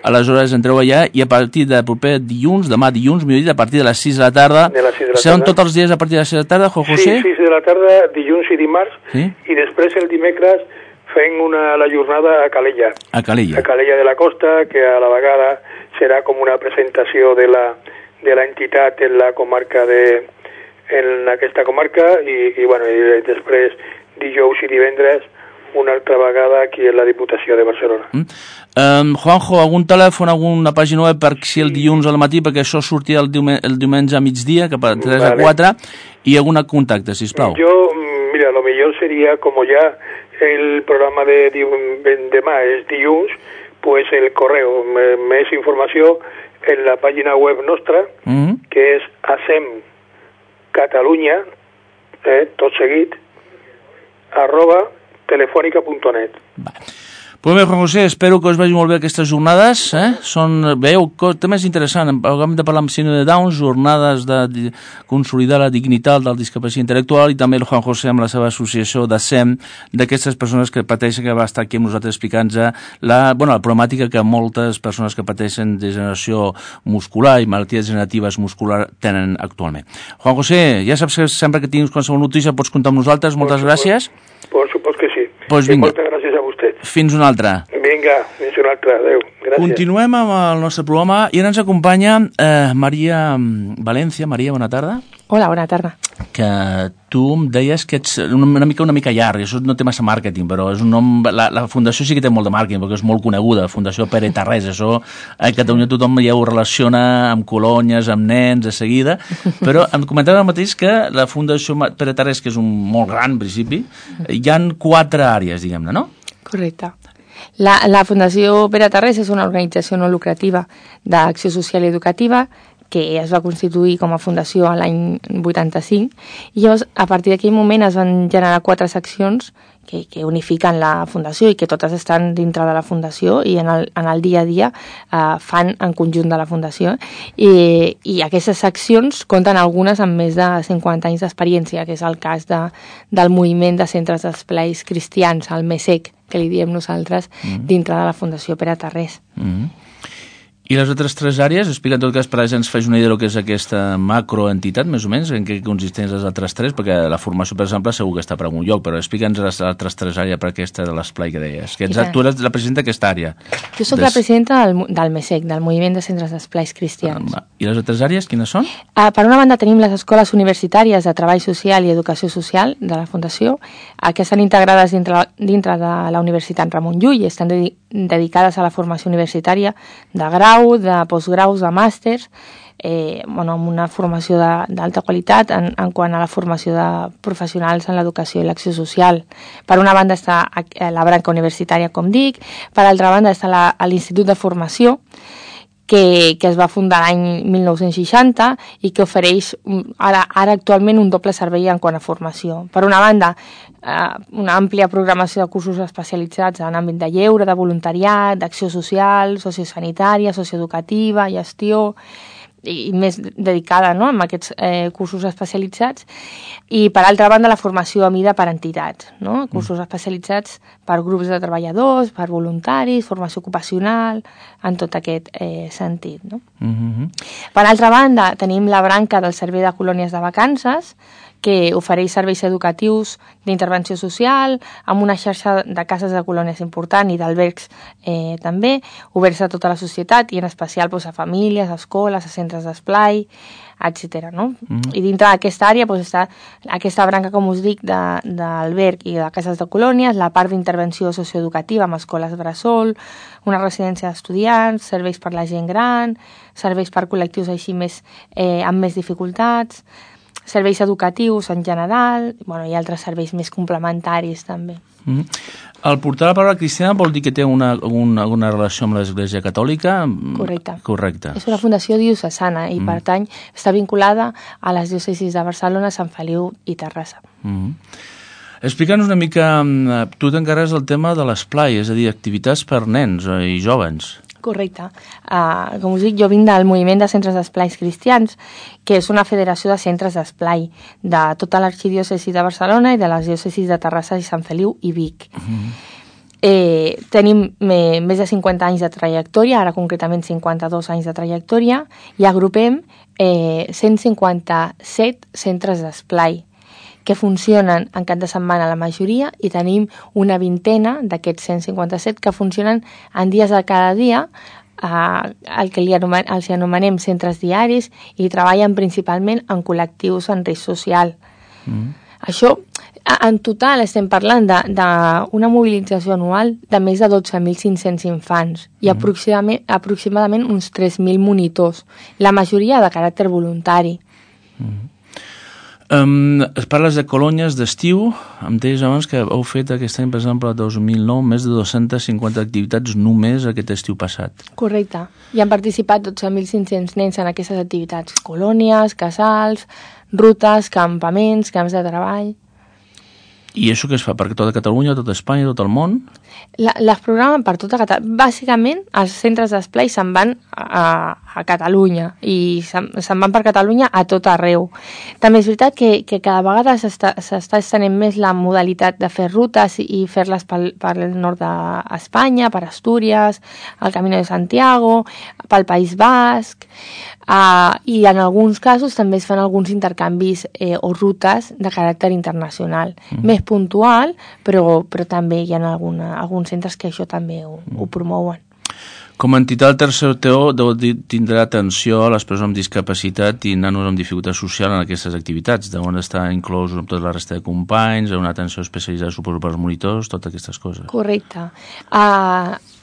aleshores entreu allà, i a partir de proper dilluns, demà dilluns, a partir de les 6 de la tarda, seran tots els dies a partir de les 6 de la tarda, Juan José? Sí, 6 de la tarda, dilluns i dimarts, i després el dimecres fent la jornada a Calella. A Calella. A Calella de la Costa, que a la vegada serà com una presentació de la entitat en la comarca en aquesta comarca, i bueno, i després dijous i divendres una altra vegada aquí en la Diputació de Barcelona. Juanjo, algun telèfon, alguna pàgina web per si el dilluns al matí, perquè això sortia el diumenge a migdia, cap a 3 a 4, i algun contacte, sisplau. Mira, lo millor sería, como ya el programa de demà és dilluns, pues el correo, més informació en la pàgina web nostra, que és ASEM Catalunya, tot seguit, @telefónica.net. Pues bé, Juan José, espero que us vagi molt bé aquestes jornades. Veieu, temes interessants. Hem de parlar amb síndrome de Down, jornades de consolidar la dignitat del discapacitat intel·lectual, i també el Juan José amb la seva associació d'ASEM, d'aquestes persones que pateixen, que va estar aquí amb nosaltres explicant-nos la problemàtica que moltes persones que pateixen degeneració muscular i malalties degeneratives muscular tenen actualment. Juan José, ja saps que sempre que tinguis qualsevol notícia pots comptar amb nosaltres. Moltes gràcies. Por supuesto que sí. Pues vinga. Moltes gràcies a vostè. Fins una altra. Vinga, fins una altra. Adéu. Gràcies. Continuem amb el nostre programa i ara ens acompanya Maria València. Maria, bona tarda. Hola, bona tarda. Que tu em deies que ets una mica llarg, això no té massa màrqueting, però és un nom... La fundació sí que té molt de màrqueting, perquè és molt coneguda, Fundació Pere Tarrés, això a Catalunya tothom ja ho relaciona amb colònies, amb nens, de seguida, però em comentava el mateix que la Fundació Pere Tarrés, que és molt gran, en principi, hi ha 4 àrees, diguem-ne, no? Correcte. La Fundació Pere Tarrés és una organització no lucrativa d'acció social i educativa que es va constituir com a fundació l'any 85, i llavors a partir d'aquell moment es van generar 4 seccions unifiquen la Fundació i que totes estan dintre de la Fundació i en el dia a dia fan en conjunt de la Fundació. I aquestes seccions compten algunes amb més de 50 anys d'experiència, que és el cas del moviment de centres d'esplais cristians, el MESEC, que li diem nosaltres, dintre de la Fundació Pere Tarrés. I les altres 3 àrees, explica en tot cas per a ens faig una idea del que és aquesta macroentitat, més o menys, en què consisteix les altres 3, perquè la formació, per exemple, segur que està per algun lloc, però explica'ns les altres 3 àrees per aquesta de l'esplai que deies. Que tu eres la presidenta d'aquesta àrea. Jo soc la presidenta del MESEC, del Moviment de Centres d'Esplais Cristians. I les altres àrees, quines són? Per una banda tenim les escoles universitàries de Treball Social i Educació Social de la Fundació, que estan integrades dintre de la Universitat Ramon Llull i estan dedicades a la formació universitària de grau, de postgraus, de màsters, amb una formació d'alta qualitat en quant a la formació de professionals en l'educació i l'acció social. Per una banda està la branca universitària, com dic, per altra banda està l'Institut de Formació, que es va fundar l'any 1960 i que ofereix ara actualment un doble servei en quant a formació. Per una banda, una àmplia programació de cursos especialitzats en àmbit de lleure, de voluntariat, d'acció social, sociosanitària, socioeducativa, gestió, i més dedicada, no?, amb aquests cursos especialitzats, i per altra banda la formació a mida per entitats, no?, cursos especialitzats per grups de treballadors, per voluntaris, formació ocupacional, en tot aquest sentit, no? Per altra banda tenim la branca del Servei de Colònies de Vacances, que ofereix serveis educatius d'intervenció social, amb una xarxa de cases de colònies important i d'albergs també, oberts a tota la societat i en especial a famílies, a escoles, a centres d'esplai, etc. I dintre d'aquesta àrea està aquesta branca, com us dic, d'alberg i de cases de colònies, la part d'intervenció socioeducativa amb escoles bressol, una residència d'estudiants, serveis per la gent gran, serveis per col·lectius així amb més dificultats, serveis educatius en general, i altres serveis més complementaris també. El portar la paraula cristiana vol dir que té alguna relació amb l'Església Catòlica? Correcte. És una fundació diocesana i pertany, està vinculada a les diòcesis de Barcelona, Sant Feliu i Terrassa. Explica'ns una mica, tu t'encarregues del tema de l'esplai, és a dir, activitats per nens i jovens. Correcte. Com us dic, jo vinc del Moviment de Centres d'Esplais Cristians, que és una federació de centres d'esplai de tota l'arxidiòcesi de Barcelona i de les diòcesis de Terrassa i Sant Feliu i Vic. Tenim més de 50 anys de trajectòria, ara concretament 52 anys de trajectòria, i agrupem 157 centres d'esplai que funcionen en cap de setmana la majoria, i tenim una vintena d'aquests 157 que funcionen en dies de cada dia, el que els anomenem centres diaris, i treballen principalment en col·lectius en risc social. Això, en total, estem parlant d'una mobilització anual de més de 12.500 infants i aproximadament uns 3.000 monitors, la majoria de caràcter voluntari. Parles de colònies d'estiu, em deies abans que heu fet aquest any, per exemple, el 2009, més de 250 activitats només aquest estiu passat. Correcte. Hi han participat 12.500 nens en aquestes activitats. Colònies, casals, rutes, campaments, camps de treball. I això què es fa? Per tota Catalunya, tota Espanya, tot el món? Les programen per tota Catalunya. Bàsicament, els centres d'esplai se'n van a Catalunya i se'n van per Catalunya a tot arreu. També és veritat que cada vegada s'està estenent més la modalitat de fer rutes i fer-les pel nord d'Espanya, per Astúries, el Camino de Santiago, pel País Basc, i en alguns casos també es fan alguns intercanvis o rutes de caràcter internacional. Més puntual, però també hi ha alguns centres que això també ho promouen. Com a entitat, el tercer TO tindrà atenció a les persones amb discapacitat i nanos amb dificultat social en aquestes activitats, d'on està inclòs tota la resta de companys, una atenció especialitzada, suposo, per als monitors, totes aquestes coses. Correcte.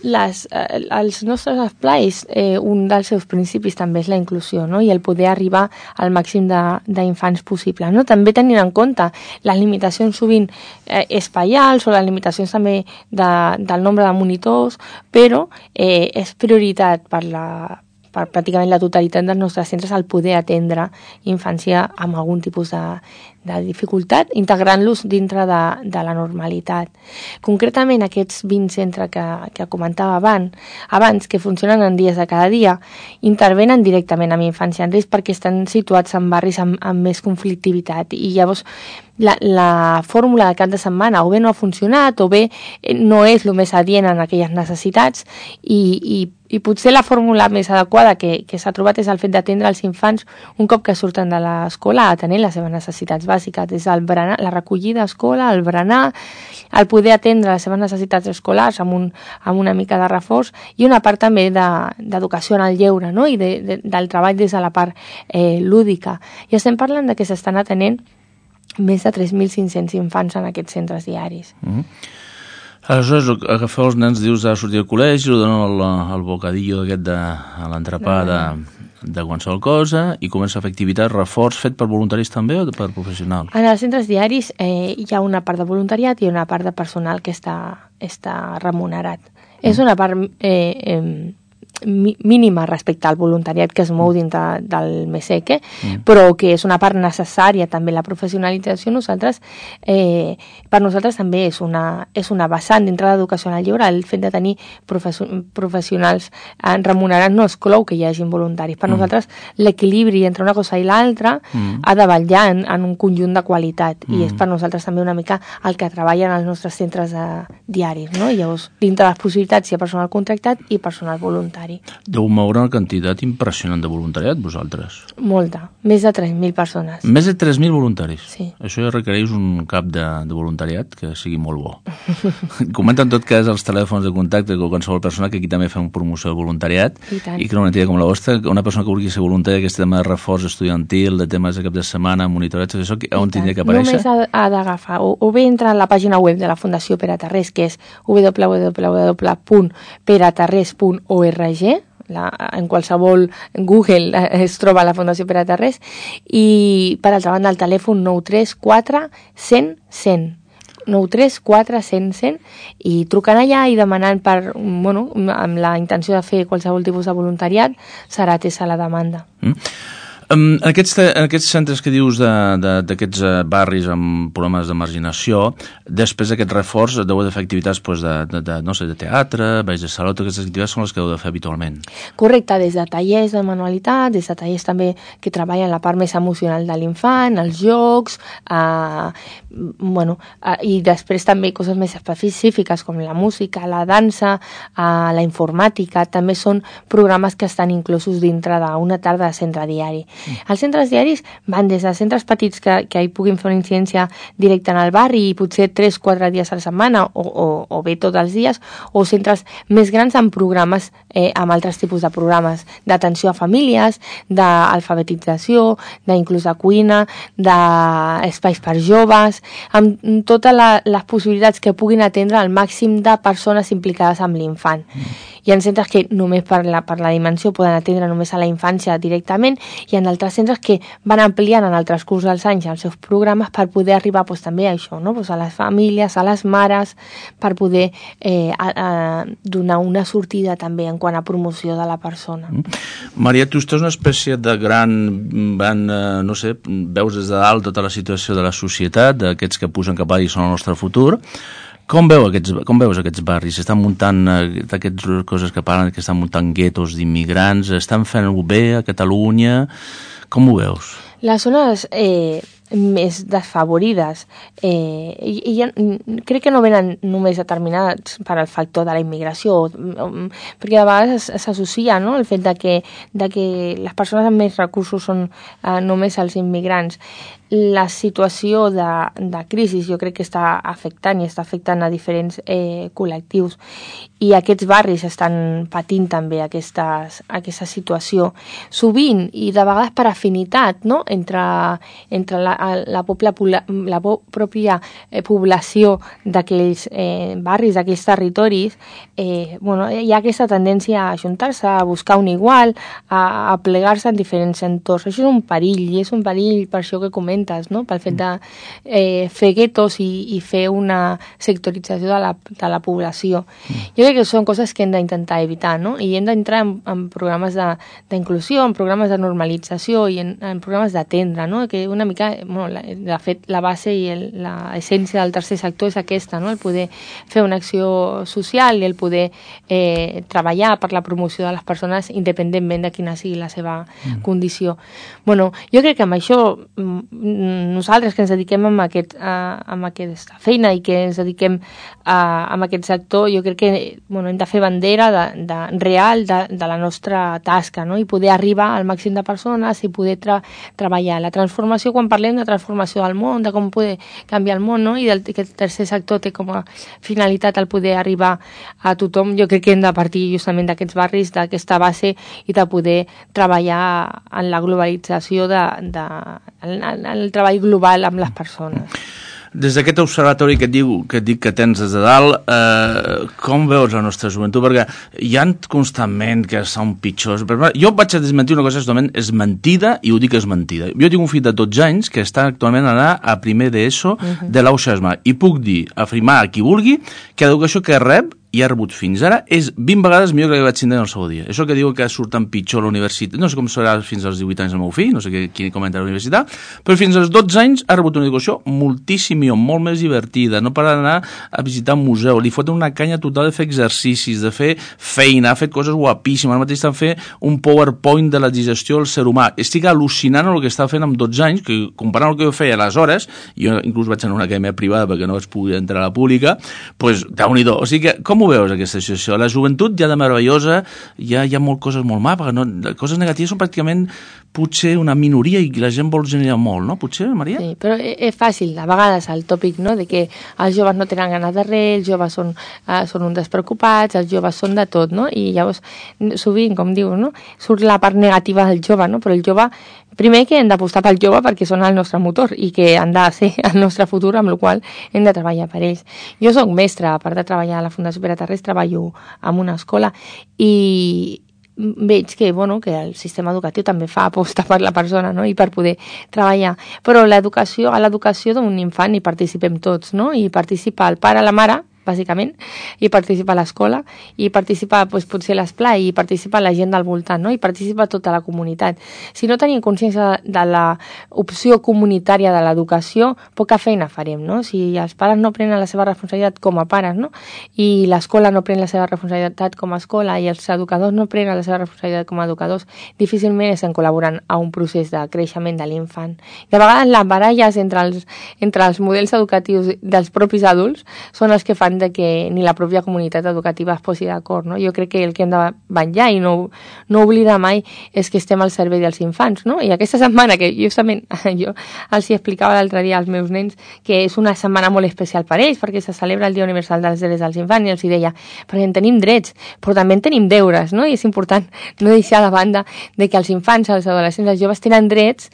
Els nostres esplais, un dels seus principis també és la inclusió, no?, i el poder arribar al màxim d'infants possible, no? També tenint en compte les limitacions sovint espaials o les limitacions també del nombre de monitors, però és prioritat per pràcticament la totalitat dels nostres centres el poder atendre infància amb algun tipus dificultat, integrant-los dintre de la normalitat. Concretament, aquests 20 centres que comentava abans, que funcionen en dies de cada dia, intervenen directament amb infància en risc perquè estan situats en barris amb més conflictivitat, i llavors la fórmula de cap de setmana o bé no ha funcionat o bé no és el més adient en aquelles necessitats, i potser la fórmula més adequada que s'ha trobat és el fet d'atendre els infants un cop que surten de l'escola, atenent les seves necessitats bàsiques, des del berenar, la recollida a escola, el berenar, el poder atendre les seves necessitats escolars amb una mica de reforç, i una part també d'educació en el lleure, no? I del treball des de la part lúdica. I estem parlant de que s'estan atenent més de 3.500 infants en aquests centres diaris. Aleshores, agafeu els nens, dius, a sortir al col·legi, li donen el bocadillo aquest de l'entrepà de qualsevol cosa, i comença a fer activitat, reforç fet per voluntaris també o per professionals? En els centres diaris hi ha una part de voluntariat i una part de personal que està remunerat. És una part mínima respecte al voluntariat que es mou dintre del MESEC, però que és una part necessària també. La professionalització per nosaltres també és una vessant dintre de l'educació en el lleure. El fet de tenir professionals remunerats no exclou que hi hagin voluntaris. Per nosaltres l'equilibri entre una cosa i l'altra ha de vetllar en un conjunt de qualitat, i és per nosaltres també una mica el que treballen als nostres centres diaris, no? I llavors, dintre de les possibilitats hi ha personal contractat i personal voluntari. Deu moure una quantitat impressionant de voluntariat, vosaltres. Molta. Més de 3.000 persones. Més de 3.000 voluntaris? Sí. Això ja requereix un cap de voluntariat que sigui molt bo. Comenta en tot cas els telèfons de contacte de qualsevol persona, que aquí també fem promoció de voluntariat, i que una entidad com la vostra, una persona que vulgui ser voluntària, aquest tema de reforç estudiantil, de temes de cap de setmana, monitoratge, això, on tindria que aparèixer? Només ha d'agafar, o bé entra a la pàgina web de la Fundació Pere Tarrés, que és www.peratarrés.org. En qualsevol Google es troba la Fundació Pere Tarrés, i per altra banda el telèfon 934 100 100 934 100 100, i trucant allà i demanant amb la intenció de fer qualsevol tipus de voluntariat, serà atesa la demanda. En aquests centres que dius d'aquests barris amb problemes de marginació, després d'aquest reforç deu de fer activitats de teatre, balls de saló, totes aquestes activitats són les que heu de fer habitualment. Correcte, des de tallers de manualitat, des de tallers també que treballen la part més emocional de l'infant, els jocs, i després també coses més específiques com la música, la dansa, la informàtica, també són programes que estan inclosos dintre d'una tarda de centre diari. Els centres diaris van des de centres petits que hi puguin fer una incidència directa en el barri i potser 3-4 dies a la setmana o bé tots els dies, o centres més grans amb programes, amb altres tipus de programes d'atenció a famílies, d'alfabetització, d'inclús de cuina, d'espais per joves, amb totes les possibilitats que puguin atendre el màxim de persones implicades amb l'infant. Hi ha centres que només per la dimensió poden atendre només a la infància directament, i en altres centres que van ampliant en el transcurs dels anys els seus programes per poder arribar també a això, a les famílies, a les mares, per poder donar una sortida també en quant a promoció de la persona. Maria, tu estàs una espècie de no sé, veus des de dalt tota la situació de la societat, d'aquests que pugen cap allà i són el nostre futur. Com veus aquests barris? Estan muntant aquestes coses que parlen, que estan muntant guetos d'immigrants, estan fent-ho bé a Catalunya? Com ho veus? Les zones més desfavorides crec que no venen només determinats per al factor de la immigració, perquè de vegades s'associa, no?, el fet de que les persones amb més recursos són només els immigrants. La situació de crisi jo crec que està afectant a diferents col·lectius, i aquests barris estan patint també aquesta situació, sovint i de vegades per afinitat, no?, entre la pròpia població d'aquells barris, d'aquells territoris. Hi ha aquesta tendència a ajuntar-se, a buscar un igual, a plegar-se en diferents entorns. Això és un perill, per això que comento, violentes, no? Pel fet de fer guetos i fer una sectorització de la població. Jo crec que són coses que hem d'intentar evitar, no? I hem d'entrar en programes d'inclusió, en programes de normalització i en programes d'atendre, no? Que una mica, de fet, la base i l'essència del tercer sector és aquesta, no? El poder fer una acció social i el poder treballar per la promoció de les persones independentment de quina sigui la seva condició. Bueno, jo crec que amb això nosaltres que ens dediquem a aquesta feina i que ens dediquem a aquest sector, jo crec que hem de fer bandera real de la nostra tasca, no? I poder arribar al màxim de persones i poder treballar la transformació. Quan parlem de transformació del món, de com poder canviar el món, no? I que el tercer sector té com a finalitat el poder arribar a tothom, jo crec que hem de partir justament d'aquests barris, d'aquesta base i de poder treballar en la globalització en el treball global amb les persones. Des d'aquest observatori que et dic que tens des de dalt, com veus la nostra joventut? Perquè hi ha constantment que són pitjors. Jo vaig a desmentir una cosa que totalment és mentida, i ho dic que és mentida. Jo tinc un fill de 12 anys que està actualment anant a primer d'ESO de l'Auxasma, i puc dir, afirmar a qui vulgui, que l'educació que rep i ha rebut fins ara és 20 vegades millor que la que vaig tindre en el seu dia. Això que diu que surten pitjor a la universitat, no sé com serà fins als 18 anys el meu fill, no sé qui comenta a la universitat, però fins als 12 anys ha rebut una educació moltíssim millor, molt més divertida, no per anar a visitar un museu, li foten una canya total de fer exercicis, de fer feina, ha fet coses guapíssimes, ara mateix estan fent un PowerPoint de la digestió del ser humà. Estic al·lucinant el que està fent amb 12 anys, que comparant el que jo feia aleshores, jo inclús vaig anar a una acadèmia privada perquè no vaig poder entrar a la pública, doncs Déu-n'hi-do. O sigui que, com ho veus aquesta situació? La joventut ja de meravellosa, hi ha coses molt mal, perquè coses negatives són pràcticament potser una minoria i la gent vol generar molt, no? Potser, Maria? Sí, però és fàcil, a vegades el tòpic, no?, de que els joves no tenen ganes de res, els joves són uns despreocupats, els joves són de tot, no? I llavors, sovint, com dius, no?, surt la part negativa del jove, no? Però el jove, primer que hem d'apostar pel jove perquè són el nostre motor i que han de ser el nostre futur, amb la qual hem de treballar per ells. Jo soc mestra, a part de treballar a la Fundació Pere Tarrés, treballo en una escola i veig que el sistema educatiu també fa aposta per la persona, no?, i per poder treballar. Però a l'educació d'un infant hi participem tots, no?, i participa el pare, la mare, bàsicament, i participa l'escola, i participa potser l'esplai, i participa la gent del voltant, no?, i participa tota la comunitat. Si no tenim consciència de l'opció comunitària de l'educació, poca feina farem, no? Si els pares no prenen la seva responsabilitat com a pares, no?, i l'escola no pren la seva responsabilitat com a escola, i els educadors no prenen la seva responsabilitat com a educadors, difícilment estan col·laborant a un procés de creixement de l'infant. I a vegades les baralles entre els models educatius dels propis adults són els que fan de que ni la pròpia comunitat educativa es posi d'acord, no? Jo crec que el que hem de vetllar i no oblidar mai és que estem al servei dels infants, no? I aquesta setmana, que justament jo els hi explicava l'altre dia als meus nens, que és una setmana molt especial per ells, perquè se celebra el Dia Universal dels Drets dels Infants, i els hi deia, perquè en tenim drets, però també en tenim deures, no? I és important no deixar de banda de que els infants, els adolescents, els joves tenen drets,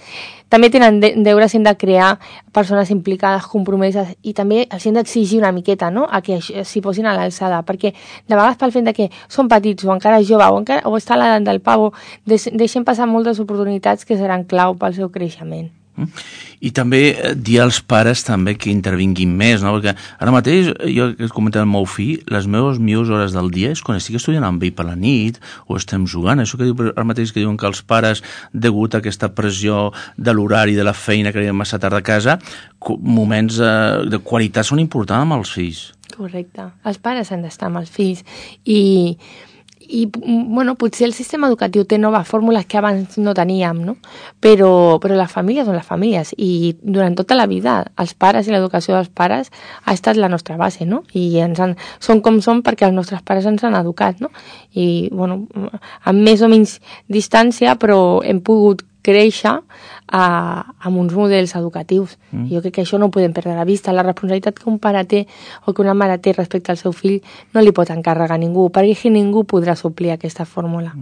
també tenen deures, hem de crear persones implicades, compromeses, i també els hem d'exigir una miqueta, no?, a que s'hi posin a l'alçada, perquè de vegades pel fet de que són petits o encara joves o està a l'edat del pavo, deixem passar moltes oportunitats que seran clau pel seu creixement. I també dir als pares també que intervinguin més, no? Perquè ara mateix, jo he comentat al meu fill, les meves millors hores del dia és quan estic estudiant amb ell per la nit o estem jugant. Això que diu ara mateix que diuen que els pares, degut a aquesta pressió de l'horari, de la feina que arriben massa tard a casa, moments de qualitat són importants amb els fills. Correcte. Els pares han d'estar amb els fills i potser el sistema educatiu té noves fórmules que abans no teníem, no? Però les famílies són les famílies, i durant tota la vida els pares i l'educació dels pares ha estat la nostra base, no? I són com som perquè els nostres pares ens han educat, no? I, amb més o menys distància, però hem pogut créixer amb uns models educatius. Jo crec que això no ho podem perdre de vista. La responsabilitat que un pare té o que una mare té respecte al seu fill no li pot encarregar a ningú, perquè ningú podrà suplir aquesta fórmula.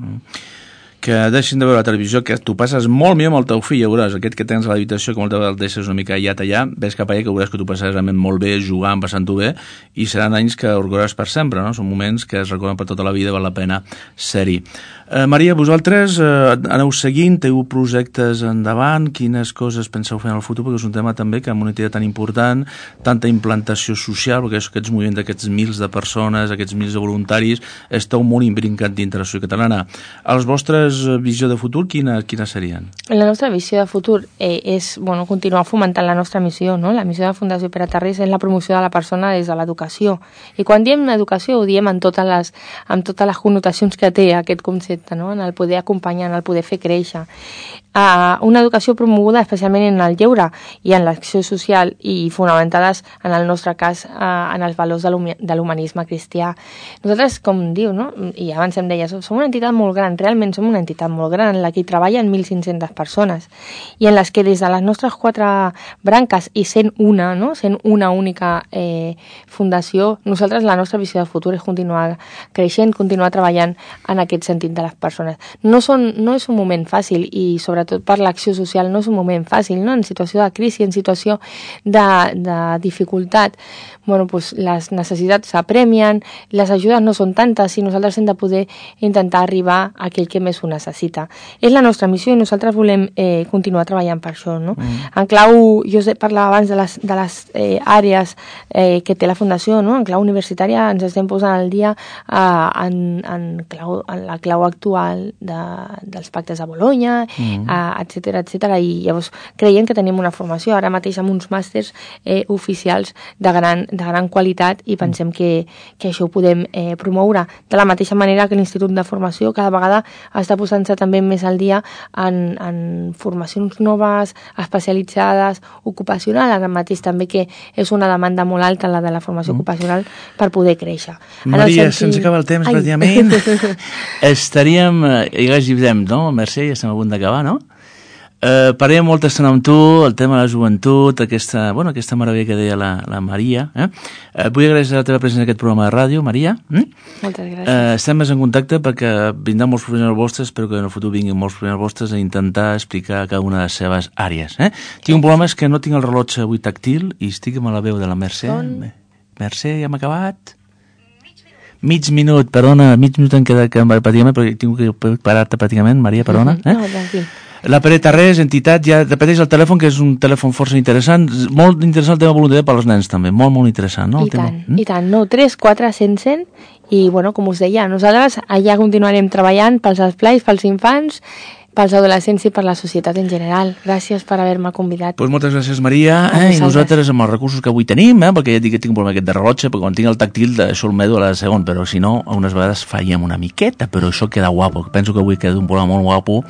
Que deixin de veure la televisió, que tu passes molt millor amb el teu fill, ja veuràs, aquest que tens a l'habitació, que moltes vegades el deixes una mica allà, ves cap allà, que veuràs que tu passaràs realment molt bé, jugant, passant-ho bé, i seran anys que recordaràs per sempre, no? Són moments que es recorden per tota la vida, val la pena ser-hi. Maria, vosaltres aneu seguint, teniu projectes endavant, quines coses penseu fer en el futur, perquè és un tema també que amb una entitat tan important, tanta implantació social, perquè aquests moviments d'aquests mils de persones, aquests mils de voluntaris, esteu molt imbrincat dintre la societat catalana. Les vostres visió de futur, quines serien? La nostra visió de futur és continuar fomentant la nostra missió, no? La missió de la Fundació Pere Tarrés és la promoció de la persona des de l'educació. I quan diem educació ho diem amb totes les connotacions que té aquest concepte, no? En el poder acompanyar, en el poder fer créixer. Una educació promoguda especialment en el lleure i en l'acció social i fonamentades, en el nostre cas, en els valors de l'humanisme cristià. Nosaltres, com diu, no? I abans em deia, som una entitat molt gran, realment som una entitat molt gran, en la que hi treballen 1.500 persones i en les que des de les nostres 4 branques i sent una única fundació, nosaltres la nostra visió de futur és continuar creixent, continuar treballant en aquest sentit de les persones. No és un moment fàcil i sobretot per l'acció social no és un moment fàcil, no? En situació de crisi, en situació de dificultat, les necessitats s'apremien, les ajudes no són tantes i nosaltres hem de poder intentar arribar a aquell que més ho necessita. És la nostra missió i nosaltres volem continuar treballant per això, no? En clau, jo parlava abans de les àrees que té la Fundació, no? En clau universitària ens estem posant al dia en la clau actual dels pactes de Bologna, etcètera, i llavors creiem que tenim una formació ara mateix amb uns màsters oficials de gran qualitat i pensem que això ho podem promoure de la mateixa manera que l'Institut de Formació cada vegada està posant-se també més al dia en formacions noves, especialitzades, ocupacional, ara mateix també que és una demanda molt alta la de la formació ocupacional per poder créixer. Maria, se'ns acaba el temps pràcticament. Estaríem, ja direm, no? Mercè, ja estem a punt d'acabar, no? Parlem molta estona amb tu, el tema de la joventut, aquesta meravella que deia la Maria. Vull agrair la teva presència en aquest programa de ràdio, Maria. Moltes gràcies. Estem més en contacte perquè vindran molts professionals vostres, espero que en el futur vinguin molts professionals vostres a intentar explicar cada una de les seves àrees. Tinc un problema, és que no tinc el rellotge avui tàctil i estic amb la veu de la Mercè. Mercè, ja hem acabat? Mig minut, perdona, mig minut em queda pràcticament, però tinc que parar-te pràcticament, Maria, perdona. No, tranquil. La Pere Tarrés, entitat, ja repeteix el telèfon, que és un telèfon força interessant, molt interessant el tema voluntariat per als nens també, molt interessant, no? I tant, 3, 4, 100, i com us deia, nosaltres allà continuarem treballant pels esplais, pels infants, pels adolescents i per la societat en general. Gràcies per haver-me convidat. Doncs moltes gràcies, Maria. I nosaltres, amb els recursos que avui tenim, perquè ja dic que tinc un problema aquest de rellotge, perquè quan tinc el tàctil això el medo a la segon, però si no, unes vegades fallem una miqueta, però això queda guapo. Penso que avui queda un programa molt guapo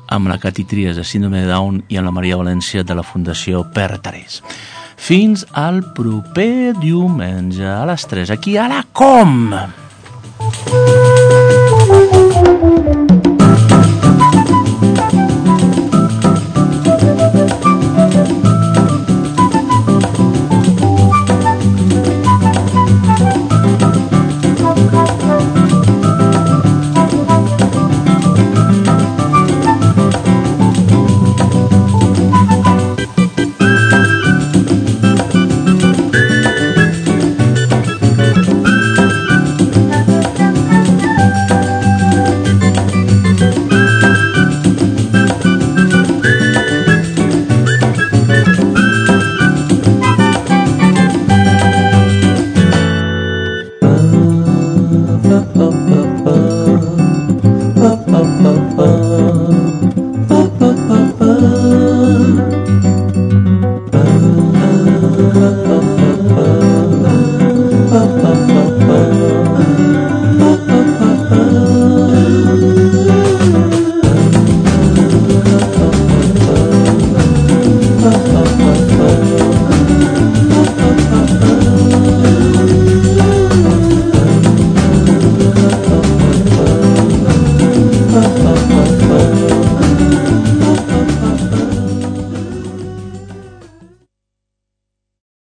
amb la Cati Trias de Síndrome de Down i amb la Maria València de la Fundació Pere Tarrés. Fins al proper diumenge a les 3, aquí a la COM!